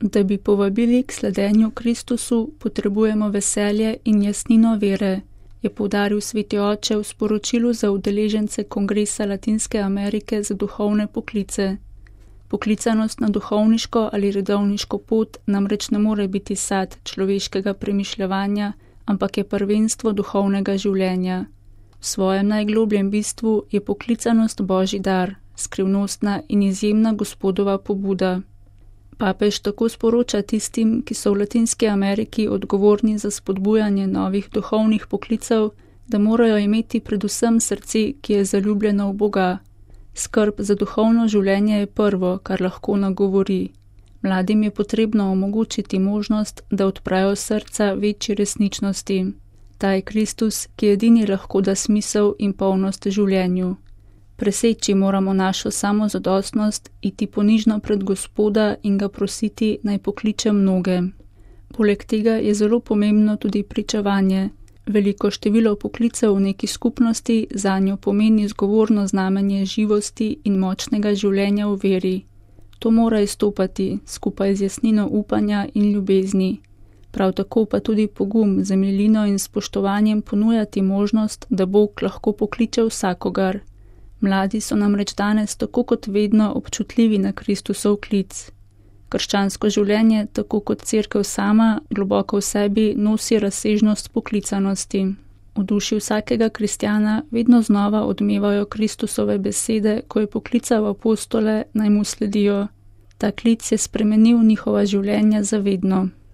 Da bi povabili k sledenju Kristusu, potrebujemo veselje in jasnino vere, je poudaril sveti oče v sporočilu za udeležence Kongresa Latinske Amerike za duhovne poklice. Poklicanost na duhovniško ali redovniško pot namreč ne more biti sad človeškega premišljevanja, ampak je prvenstvo duhovnega življenja. V svojem najglobljem bistvu je poklicanost Božji dar, skrivnostna in izjemna Gospodova pobuda. Papež tako sporoča tistim, ki so v Latinski Ameriki odgovorni za spodbujanje novih duhovnih poklicev, da morajo imeti predvsem srce, ki je zaljubljeno v Boga. Skrb za duhovno življenje je prvo, kar lahko nagovori. Mladim je potrebno omogočiti možnost, da odprajo srca večji resničnosti. Ta je Kristus, ki edini lahko da smisel in polnost življenju. Preseči moramo našo samozadostnost, iti ponižno pred Gospoda in ga prositi, naj pokliče mnoge. Poleg tega je zelo pomembno tudi pričevanje. Veliko število poklicev v neki skupnosti zanjo pomeni zgovorno znamenje živosti in močnega življenja v veri. To mora izstopati skupaj z jasnino upanja in ljubezni. Prav tako pa tudi pogum, z milino in spoštovanjem ponujati možnost, da Bog lahko pokliče vsakogar. Mladi so namreč danes tako kot vedno občutljivi na Kristusov klic. Krščansko življenje, tako kot cerkev sama, globoko v sebi nosi razsežnost poklicanosti. V duši vsakega kristjana vedno znova odmevajo Kristusove besede, ko je poklical apostole, naj mu sledijo. Ta klic je spremenil njihova življenja za vedno.